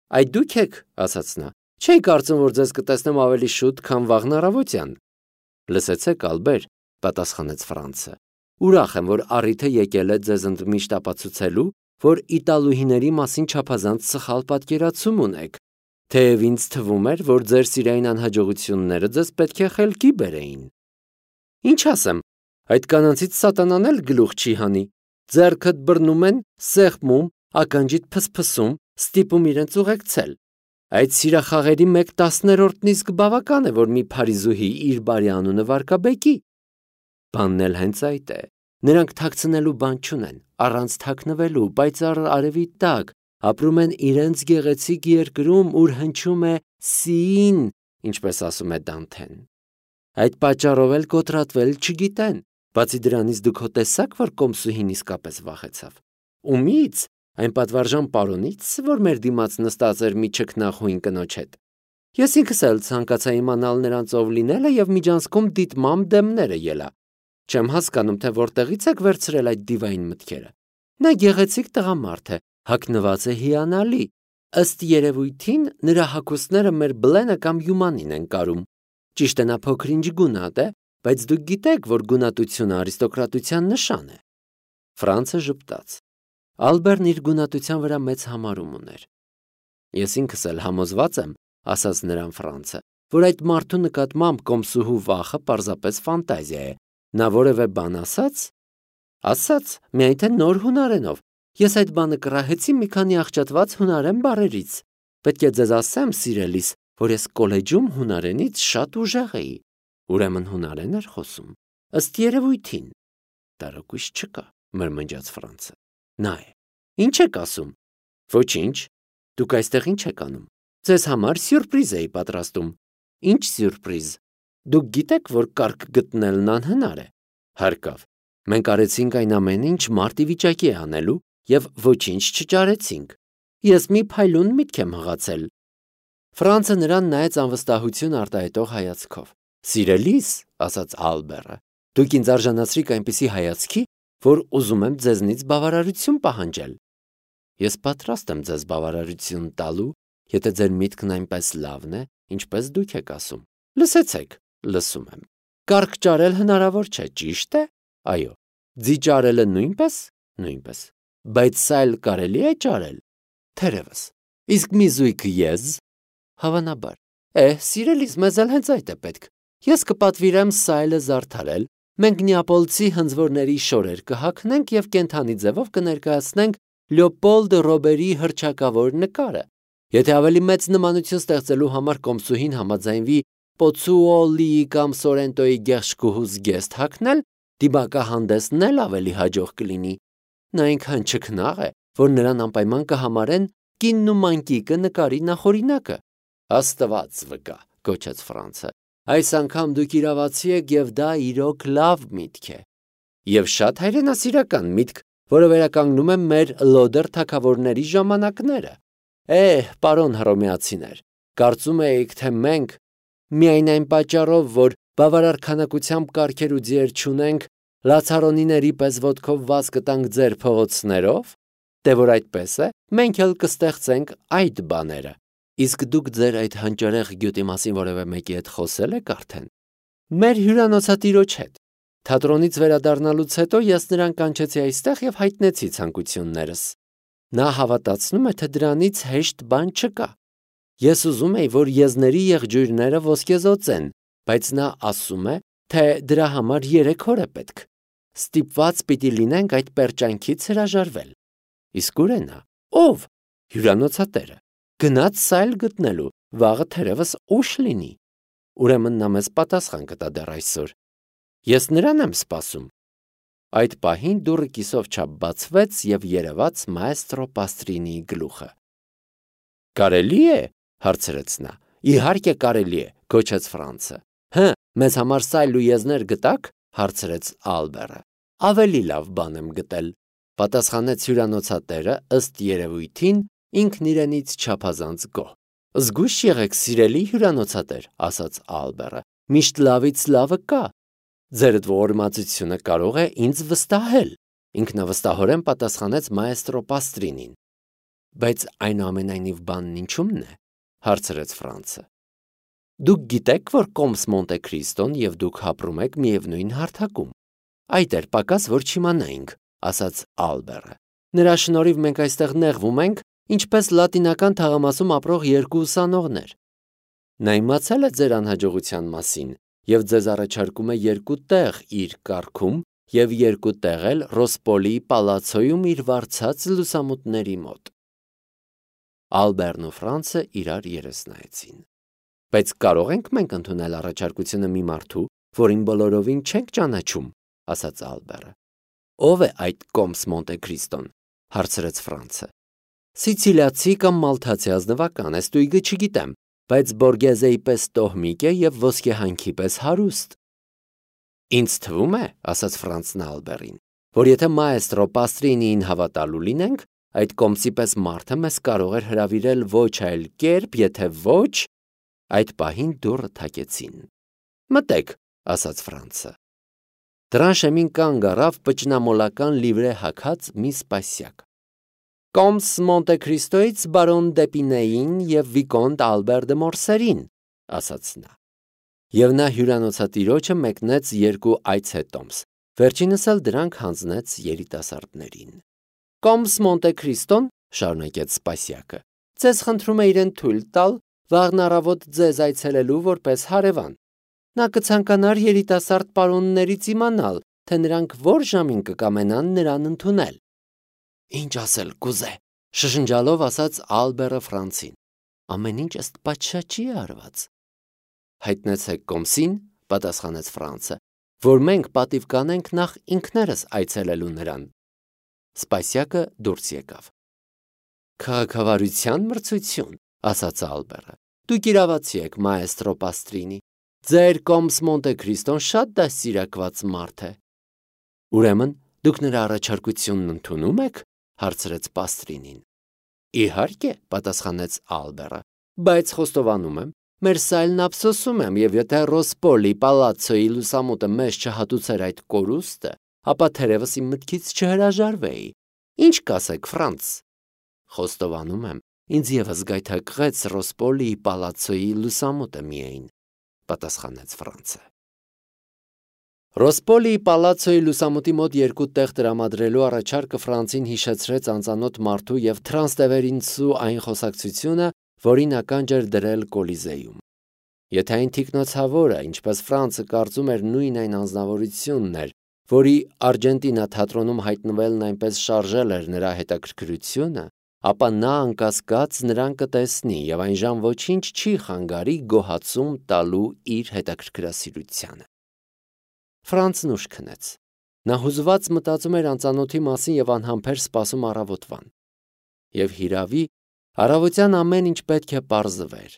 Այդ դուք եք, ասաց նա։ Չէի կարծում, որ ձեզ կտեսնեմ ավելի շուտ, քան վաղն առավոտյան։ Լսեցեք, Ալբեր, պատասխանեց Ֆրանցը։ Ուրախ եմ, որ առիթը եկել է ձեզ ընդմիշտ ապացուցելու, որ իտալուհիների մասին չափազանց սխալ պատկերացում ունեք, թեև ինձ թվում էր, որ ձեր սիրային անհաջողությունները ձեզ պետք է խելքի բերեին։ Ինչ ասեմ, այդ կանանցից սատանան էլ գլուխ չի հանի, ձեռքդ բռնում են, սեղմում, ականջիդ փսփսում, ստիպում իրենց ուղեկցել։ Այդ սիրախաղերի 1/10-ն իսկ բավական է, որ մի փարիզուհի իր բարի անունը վարկաբեկի։ Բանն էլ հենց այդ է։ Նրանք թաքցնելու բան չունեն, առանց թաքնվելու, պայծառ արևի տակ, ապրում են իրենց գեղեցիկ երկրում, ուր հնչում է սին, ինչպես ասում է Դանթեն։ Այդ պատճառով էլ կոտրատվել չգիտեն, բացի դրանից դուք հո տեսաք, որ կոմսուհին իսկապես վախեցավ։ Ումից, այն պատվարժան պարոնից, որ մեր դիմաց նստած էր մի չքնախույն կնոջ հետ։ Ես ինքս էլ ցանկացա իմանալ նրանց ով լինելը եւ միջանցքում դիտմամ դեմները ելա։ Չեմ հասկանում, թե որտեղից եք վերցրել այդ դիվային մտքերը։ Նա գեղեցիկ տղամարդ է, հագնված է հիանալի։ Ըստ երևույթին նրա հագուստները մեր Բլենը կամ Յումանին են կարում։ Ճիշտ է, նա փոքր-ինչ գունատ է, բայց դուք գիտեք, որ գունատությունը արիստոկրատության նշան է։ Ֆրանցը ժպտաց։ Ալբերն իր գունատության վրա մեծ համարում ուներ։ Ես ինքս էլ համոզված եմ, ասաց նրան Ֆրանցը, որ այդ մարդու նկատմամբ կոմսուհու վախը պարզապես ֆանտազիա է։ Նա որևէ բան ասաց, միայն թե նոր հունարենով։ Ես այդ բանը կռահեցի մի քանի աղճատված հունարեն բառերից։ Պետք է ձեզ ասեմ, սիրելիս, որ ես կոլեջում հունարենից շատ ուժեղ էի։ Ուրեմն հունարեն էր խոսում։ Ըստ երևույթին։ Տարակույս չկա, մրմնջաց Ֆրանցը։ Նա է։ Ինչ եք ասում։ Ոչինչ։ Դուք այստեղ ինչ եք անում։ Ձեզ համար սյուրպրիզ էի պատրաստում։ Ինչ սյուրպրիզ։ Դուք գիտեք, որ կարգ գտնելն անհնար է։ Հարկավ։ Մենք արեցինք այն ամենը, ինչ մարդ ի վիճակի է անելու, եւ ոչինչ չճարեցինք։ Ես մի փայլուն միտք եմ հղացել։ Ֆրանցը նրան նայեց անվստահություն արտահայտող հայացքով։ Սիրելիս, ասաց Ալբերը, դուք ինձ արժանացրիք այնպիսի հայացքի, որ ուզում եմ ձեզնից բավարարություն պահանջել։ Ես պատրաստ եմ ձեզ բավարարություն տալու, եթե ձեր միտքն այնպես լավն է, ինչպես դուք եք ասում։ Լսեցեք, լսում եմ։ Կարգ ճարել հնարավոր չէ, ճիշտ է։ Այո։ Ձիճարելը նույնպես։ Բայց սա էլ կարելի է ճարել։ Թերևս։ Իսկ մի զույգ ես։ Հավանաբար։ Սիրելիս, մեզ էլ հենց այդ է պետք։ Ես կպատվիրեմ սայլը զարդարել, մենք նեապոլցի հնձվորների շորեր կհագնենք եւ կենթանի ձևով կներկայացնենք Լեոպոլդ Ռոբերի հռչակավոր նկարը։ Եթե ավելի մեծ նմանություն ստեղծելու համար կոմսուհին համաձայնվի Պոցուոլիի կամ Սորենտոյի գեղշկուհու զգեստ հագնել, դիմակահանդեսն էլ ավելի հաջող կլինի։ Նա այնքան չքնաղ է, որ նրան անպայման կհամարեն կինն ու մանկիկը նկարի նախօրինակը։ Աստված վկա, գոչեց Ֆրանցը։ Այս անգամ դուք իրավացի եք եւ դա իրոք լավ միտք է։ Եվ շատ հայրենասիրական միտք, որը վերականգնում է մեր լոդեր թագավորների ժամանակները։ Պարոն հռոմեացիներ, կարծում էիք, թե մենք միայն այն պատճառով, որ բավարար քանակությամբ կարգեր ու ձիեր չունենք, լացարոնիների պես ոտքով վազ կտանք ձեր փողոցներով, դե որ այդպես է, մենք էլ կստեղծենք այդ բաները։ Իսկ դուք ձեր այդ հանճարեղ գյուտի մասին որևէ մեկի հետ խոսել եք արդեն։ Մեր հյուրանոցատիրոջ հետ։ Թատրոնից վերադառնալուց հետո ես նրան կանչեցի այստեղ եւ հայտնեցի ցանկություններս։ Նա հավատացնում է, թե դրանից հեշտ բան չկա։ Ես ուզում էի, որ եզների եղջյուրները ոսկեզոծ են, բայց նա ասում է, թե դրա համար 3 օր է պետք։ Ստիպված պիտի լինենք այդ պերճանքից հրաժարվել։ Իսկ ուր է նա։ Ով։ Հյուրանոցատերը։ Գնաց սայլ գտնելու, վաղը թերևս ուշ լինի։ Ուրեմն նա մեզ պատասխան կտա դեռ այսօր։ Ես նրան եմ սպասում։ Այդ պահին դուռը կիսով չափ բացվեց եւ երևաց մայստրո Պաստրինիի գլուխը։ Կարելի է, հարցրեց նա։ Իհարկե կարելի է, գոչեց Ֆրանցը։ Մեզ համար սայլ ու եզներ գտաք, հարցրեց Ալբերը։ Ավելի լավ բան եմ գտել, պատասխանեց հյուրանոցատերը, ըստ երևույթին ինքն իրենից չափազանց գոհ։ Զգույշ եղեք, սիրելի հյուրանոցատեր, ասաց Ալբերը։ Միշտ լավից լավը կա։ Ձեր ողորմածությունը կարող է ինձ վստահել, ինքնավստահորեն պատասխանեց մայստրո Պաստրինին։ Բայց այնուամենայնիվ բանն ինչու՞մն է, հարցրեց Ֆրանցը։ Դուք գիտեք, որ Կոմս Մոնտե Քրիստոն եւ դուք ապրում եք միևնույն հարթակում։ Այդ էր պակաս, որ չիմանայինք, ասաց Ալբերը։ Նրա շնորհիվ մենք այստեղ նեղվում ենք, ինչպես լատինական թաղամասում ապրող երկու ուսանողներ։ Նա իմացել է ձեր անհաջողության մասին եւ ձեզ առաջարկում է երկու տեղ իր կարգում եւ երկու տեղ էլ Ռոսպոլի պալացոյում իր վարձած լուսամուտների մոտ։ Ալբերն ու Ֆրանցը իրար երես նայեցին։ Բայց կարող ենք մենք ընդունել առաջարկությունը մի մարդու, որին բոլորովին չենք ճանաչում, ասաց Ալբերը։ Ո՞վ է այդ Կոմս Մոնտե Քրիստոն, հարցրեց Ֆրանցը։ Սիցիլիացի կամ մալթացի ազնվական է, ստույգը չգիտեմ, բայց Բորգեզեի պես տոհմիկ է եւ ոսկեհանքի պես հարուստ։ Ինձ թվում է, ասաց Ֆրանցն Ալբերին, որ եթե մայեստրո Պաստրինիին հավատալու լինենք, այդ Կոմսի պես մարդը մեզ կարող էր հրավիրել ոչ այլ կերպ, եթե ոչ, այդ պահին դուռը թակեցին։ Մտեք, ասաց Ֆրանցը։ Դրան շեմին կանգ առավ պճնամոլական լիվրե հագած մի սպասյակ։ Կոմս Մոնտե Քրիստոից բարոն Դեպինեին եւ վիկոնտ Ալբեր դե Մորսերին, ասաց նա։ Եվ նա հյուրանոցատիրոջը մեկնեց երկու այցհետոմս, վերջինս էլ դրանք հանձնեց երիտասարդներին։ Կոմս Մոնտե Քրիստոն, շարունակեց սպասյակը, ձեզ խնդրում է իրեն թույլ տալ վաղն առավոտ ձեզ այցելելու որպես հարևան։ Նա կցանկանար երիտասարդ պարոններից իմանալ, թե նրանք որ ժամին կկամենան նրան ընդունել։ Ինչ ասել կուզե, շշնջալով ասաց Ալբերը Ֆրանցին։ Ամեն ինչ ըստ պատշաճի է արված։ Հայտնեցեք Կոմսին, պատասխանեց Ֆրանցը, որ մենք պատիվ կանենք նախ ինքներս այցելելու նրան։ Սպասյակը դուրս եկավ։ Քաղաքավարության մրցություն, ասաց Ալբերը։ Դուք իրավացի եք, մայեստրո Պաստրինի։ Ձեր Կոմս Մոնտե Քրիստոն շատ դաստիարակված մարդ է։ Ուրեմն դուք նրա առաջարկությունն ընդունում եք, հարցրեց Պաստրինին։ Իհարկե, պատասխանեց Ալբերը, բայց խոստովանում եմ, մեր սայլն ափսոսում եմ, եւ եթե Ռոսպոլի պալացոյի լուսամուտը մեզ չհատուցեր այդ կորուստը, ապա թերևս իմ մտքից չհրաժարվեի։ Ինչ կասեք, Ֆրանց։ Խոստովանում եմ, ինձ եւս գայթակղեց Ռոսպոլի պալացոյի լուսամուտը միայն, պատասխանեց Ֆրանցը։ Ռոսպոլի պալացոյի լուսամուտի մոտ երկու տեղ տրամադրելու առաջարկը Ֆրանցին հիշեցրեց անծանոթ մարդու եւ Տրանստևերինցու այն խոսակցությունը, որին ականջ էր դրել Կոլիզեյում։ Եթե այն թիկնոցավորը, ինչպես Ֆրանցը կարծում էր, նույն այն անձնավորությունն էր, որի Արգենտինա թատրոնում հայտնվելն այնպես շարժել էր նրա հետաքրքրությունը, ապա նա անկասկած նրան կտեսնի եւ այնժամ ոչինչ չի խանգարի գոհացում տալու իր հետաքրքրասիրությանը։ Ֆրանցն ուշ քնեց։ Նա հուզված մտածում էր անծանոթի մասին եւ անհամբեր սպասում առավոտվան։ Եվ հիրավի, առավոտյան ամեն ինչ պետք է պարզվեր։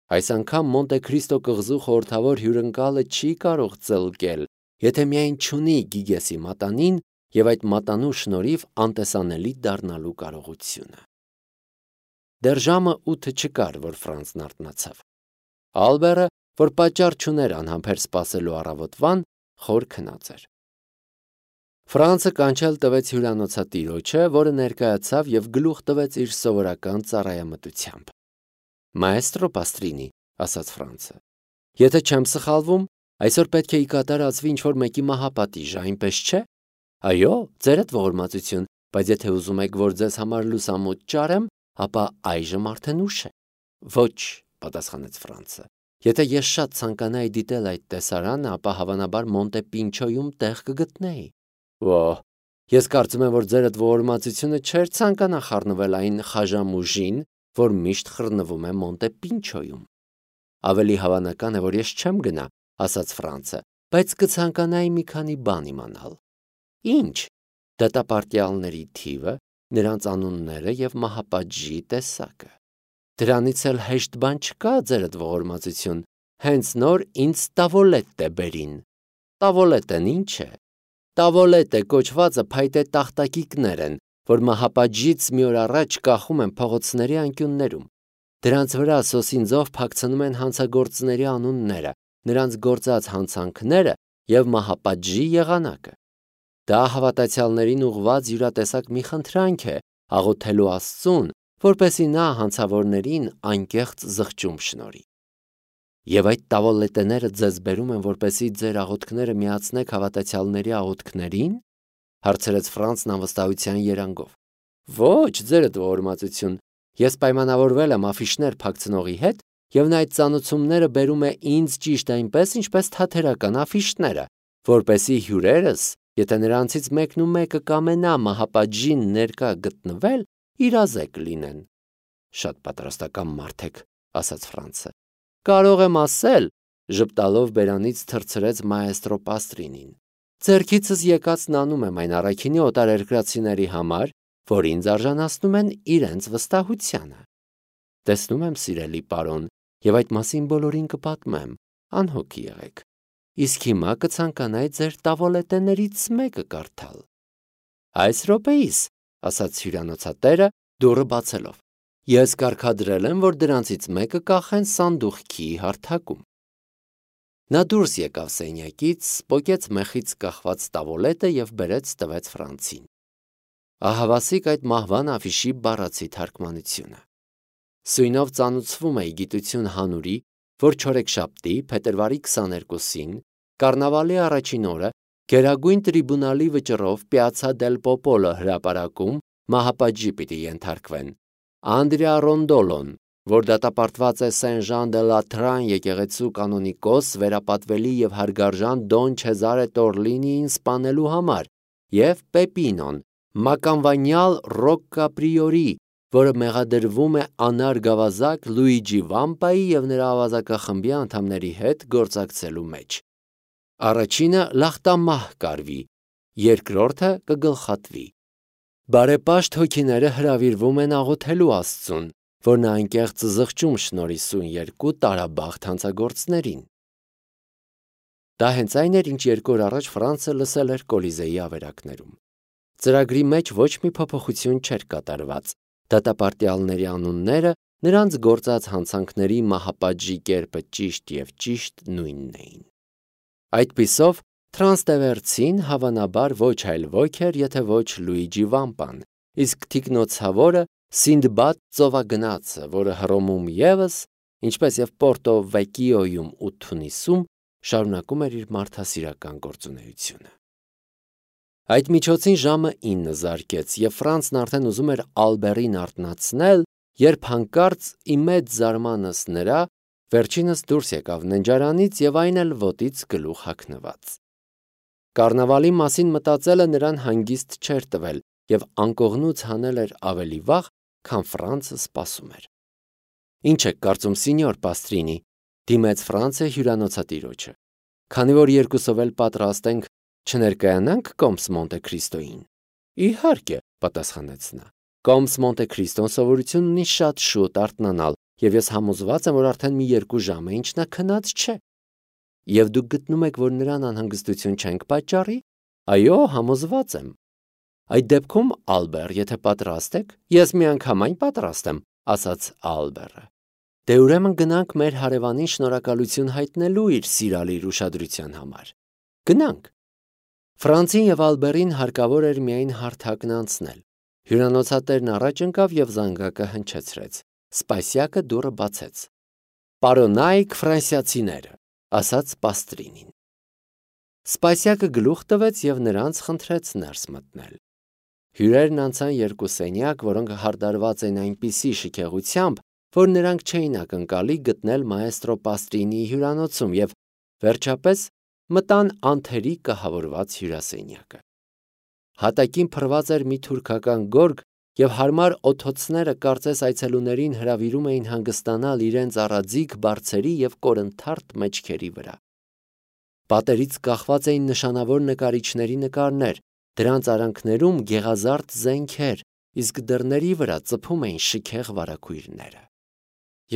Այս անգամ Մոնտե Քրիստո կղզու խորհրդավոր հյուրընկալը չի կարող ծլկել, եթե միայն չունի Գիգեսի մատանին եւ այդ մատանու շնորհիվ անտեսանելի դառնալու կարողությունը։ Դեռ ժամը 8 չկար, որ Ֆրանցն արթնացավ։ Ալբերը, որ պատճառ չուներ անհամբեր սպասելու առավոտվան, խոր քնած էր։ Ֆրանցը կանչել տվեց հյուրանոցատիրոջը, որը ներկայացավ եւ գլուխ տվեց իր սովորական ծառայամտությամբ։ Մայեստրո Պաստրինի, ասաց Ֆրանցը, եթե չեմ սխալվում, այսօր պետք է ի կատար ածվի ինչ-որ մեկի մահապատիժը, այնպես չէ։ Այո, ձերդ ողորմածություն, բայց եթե ուզում եք, որ ձեզ համար լուսամուտ ճարեմ, ապա այժմ արդեն ուշ է։ Ոչ, պատասխանեց Ֆրանցը։ Եթե ես շատ ցանկանայի դիտել այդ տեսարանը, ապա հավանաբար Մոնտե Պինչոյում տեղ կգտնեի։ Ոհ, ես կարծում եմ, որ ձերդ ողորմածությունը չէր ցանկանա խառնվել այն խաժամուժին, որ միշտ խռնվում է Մոնտե Պինչոյում։ Ավելի հավանական է, որ ես չեմ գնա, ասաց Ֆրանցը, բայց կցանկանայի մի քանի բան իմանալ։ Ինչ։ Դատապարտյալների թիվը, նրանց անունները եւ մահապատժի տեսակը։ Դրանից էլ հեշտ բան չկա, ձերդ ողորմածություն, հենց նոր ինձ տավոլետ է բերին։ Տավոլետն ինչ է։ Տավոլետը կոչվածը փայտե տախտակիկներ են, որ մահապատժից մի օր առաջ կախում են փողոցների անկյուններում։ Դրանց վրա սոսինձով փակցնում են հանցագործների անունները, նրանց գործած հանցանքները եւ մահապատժի եղանակը։ Դա հավատացյալներին ուղված յուրատեսակ մի խնդրանք է, աղոթելու Աստծուն, որպեսզի նա հանցավորներին անկեղծ զղջում շնորհի։ Եվ այդ տավոլետեները ձեզ բերում են, որպեսզի ձեր աղոթքները միացնեք հավատացյալների աղոթքներին, հարցրեց Ֆրանցն անվստահության երանգով։ Ոչ, ձերդ ողորմածություն, ես պայմանավորվել եմ աֆիշներ փակցնողի հետ, եւ նա այդ ծանուցումները բերում է ինձ ճիշտ այնպես, ինչպես թաթերական աֆիշները, որպեսզի հյուրերս, եթե նրանցից մեկն ու մեկը կամենա մահապատժին ներկա գտնվել, իրազեկ լինեն։ Շատ պատրաստական մարդ եք, ասաց Ֆրանցը։ Կարող եմ ասել, ժպտալով բերանից թռցրեց մաեստրո Պաստրինին։ Ձեռքիցս եկածն անում եմ այն առաքինի օտարերկրացիների համար, որ ինձ արժանացնում են իրենց վստահությանը։ Տեսնում եմ, սիրելի պարոն, եւ այդ մասին բոլորին կպատմեմ, անհոգ եղեք։ Իսկ հիմա կցանկանայի ձեր տավոլետեներից մեկը կարդալ։ Այս րոպեիս, ասաց հյուրանոցատերը, դուռը բացելով։ Ես կարգադրել եմ, որ դրանցից մեկը կախեն սանդուղքի հարթակում։ Նա դուրս եկավ սենյակից, պոկեց մեխից կախված տավոլետը եւ բերեց տվեց Ֆրանցին։ Ահավասիկ այդ մահվան աֆիշի բառացի թարգմանությունը։ Սույնով ծանուցվում է գիտություն հանուրի, որ չորեքշաբթի, փետրվարի 22-ին, կառնավալի առաջին օրը, Գերագույն տրիբունալի վճռով Պիացցա դել Պոպոլո հրապարակում մահապատժի պիտի ենթարկվեն Անդրեա Ռոնդոլոն, որ դատապարտված է Սեն Ժան դե Լատրան եկեղեցու կանոնիկոս վերապատվելի եւ հարգարժան Դոն Չեզարե Տորլինիին սպանելու համար, եւ Պեպինոն, մականվանյալ Ռոկկա Պրիորի, որը մեղադրվում է անար գավազակ Լուիջի Վամպայի եւ նրա ավազակախմբի անդամների հետ գործակցելու մեջ։ Առաջինը լախտամահ կարվի, երկրորդը կգլխատվի։ Բարեպաշտ հոգիները հրավիրվում են աղոթելու Աստծուն, որ նա անկեղծ զղջում շնորհի սույն երկու տարաբախտ հանցագործներին։ Դա հենց այն էր, ինչ 2 օր առաջ Ֆրանցը լսել էր Կոլիզեի ավերակներում։ Ծրագրի մեջ ոչ մի փոփոխություն չէր կատարված։ Դատապարտյալների անունները նրանց գործած հանցանքների մահապատժի կերպը ճիշտ եւ ճիշտ նույնն էին։ Այդպիսով Տրանստևերցին հավանաբար ոչ այլ ոք էր, եթե ոչ Լուիջի Վամպան, իսկ թիկնոցավորը Սինդբադ ծովագնացը, որը Հռոմում եւս, ինչպես եւ Պորտո Վեկիոյում ու Թունիսում, շարունակում էր իր մարդասիրական գործունեությունը։ Այդ միջոցին ժամը 9 զարկեց, եւ Ֆրանցն արդեն ուզում էր Ալբերին արթնացնել, երբ հանկարծ ի մեծ զարմանս նրա վերջինս դուրս եկավ ննջարանից եւ այն էլ ոտից գլուխ հագնված։ Կառնավալի մասին մտածելը նրան հանգիստ չէր տվել եւ անկողնուց հանել էր ավելի վաղ, քան Ֆրանցը սպասում էր։ Ինչ եք կարծում, սինյոր Պաստրինի, դիմեց Ֆրանցը հյուրանոցատիրոջը։ Քանի որ երկուսով էլ պատրաստ ենք, չներկայանանք Կոմս Մոնտե Քրիստոյին։ Իհարկե, պատասխանեց նա։ Կոմս Մոնտե Քրիստոն սովորություն ունի շատ շուտ արթնանալ, եւ ես համոզված եմ, որ արդեն մի 2 ժամ է, ինչ նա քնած չէ։ Եվ դուք գտնում եք, որ նրան անհանգստություն չենք պատճառի։ Այո, համոզված եմ։ Այդ դեպքում, Ալբեր, եթե պատրաստ եք, ես միանգամայն պատրաստ եմ, ասաց Ալբերը։ Դե ուրեմն գնանք մեր հարևանին շնորհակալություն հայտնելու իր սիրալիր ուշադրության համար։ Գնանք։ Ֆրանցին եւ Ալբերին հարկավոր էր միայն հարթակն անցնել։ Հյուրանոցատերն առաջ ընկավ եւ զանգակը հնչեցրեց։ Սպասյակը դուռը բացեց։ Պարոնայք ֆրանսիացիները, ասաց Պաստրինին։ Սպասյակը գլուխ տվեց եւ նրանց խնդրեց ներս մտնել։ Հյուրերն անցան 2 սենյակ, որոնք հարդարված էին այնպիսի շքեղությամբ, որ նրանք չէին ակնկալի գտնել մաեստրո Պաստրինիի հյուրանոցում եւ վերջապես մտան անթերի կահավորված հյուրասենյակը։ Հատակին փռված էր մի թուրքական գորգ եւ հարմար օթոցները կարծես այցելուներին հրավիրում էին հանգստանալ իրենց առաձիգ բարձերի եւ կորընթարթ մեջքերի վրա։ Պատերից կախված էին նշանավոր նկարիչների նկարներ, դրանց արանքներում գեղազարդ զենքեր, իսկ դռների վրա ծփում էին շքեղ վարագույրները։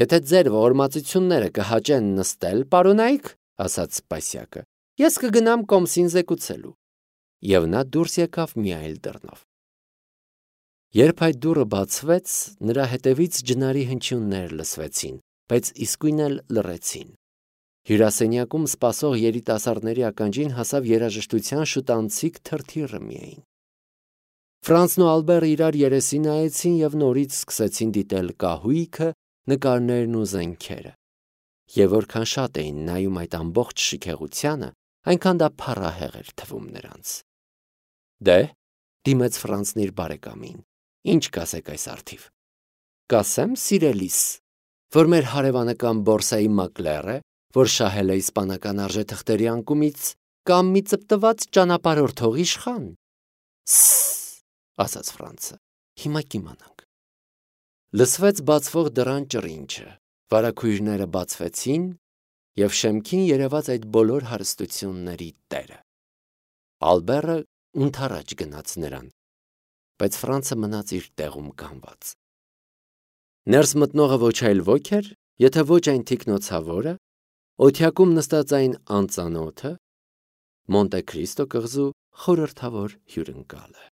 Եթե ձեր ողորմածությունները կհաճեն նստել, պարոնայք, ասաց Սպասյակը, ես կգնամ Կոմսին զեկուցելու։ Եվ նա դուրս եկավ մի այլ դռնով։ Երբ այդ դուռը բացվեց, նրա հետևից ջնարի հնչյուններ լսվեցին, բայց իսկույն էլ լռեցին։ Հյուրասենյակում սպասող երիտասարդների ականջին հասավ երաժշտության շուտանցիկ թրթիռը միայն։ Ֆրանսն ու Ալբերը իրար երեսի նայեցին և նորից սկսեցին դիտել կահույքը, նկարներն ու զենքերը։ Եվ որքան շատ էին նայում այդ ամբողջ շքեղությանը, այնքան դա փառահեղ էր թվում նրանց։ Դե, դիմեց Ֆրանսն իր բարեկամին, ինչ կասեք այս առթիվ։ Կասեմ, սիրելիս, որ մեր հարևանական բորսայի մակլեր է, որ շահել է իսպանական արժեթղթերի անկումից, կամ մի ծպտված ճանապարհորդող իշխան։ Ասաց Ֆրանսը, հիմա կիմանանք։ Լսվեց բացվող դռան ճռինչը, վարագույրները բացվեցին, և շեմքին երևաց այդ բոլոր հարստությունների տերը։ Ալբերը ընդառաջ գնաց նրան, բայց Ֆրանսը մնաց իր տեղում կանգնած։ Ներս մտնողը ոչ այլ ոք էր, եթե ոչ այն թիկնոցավորը, օթյակում նստած այն անծանոթը, Մոնտե Քրիստո կղզու խորհրդավոր հյուրընկալը։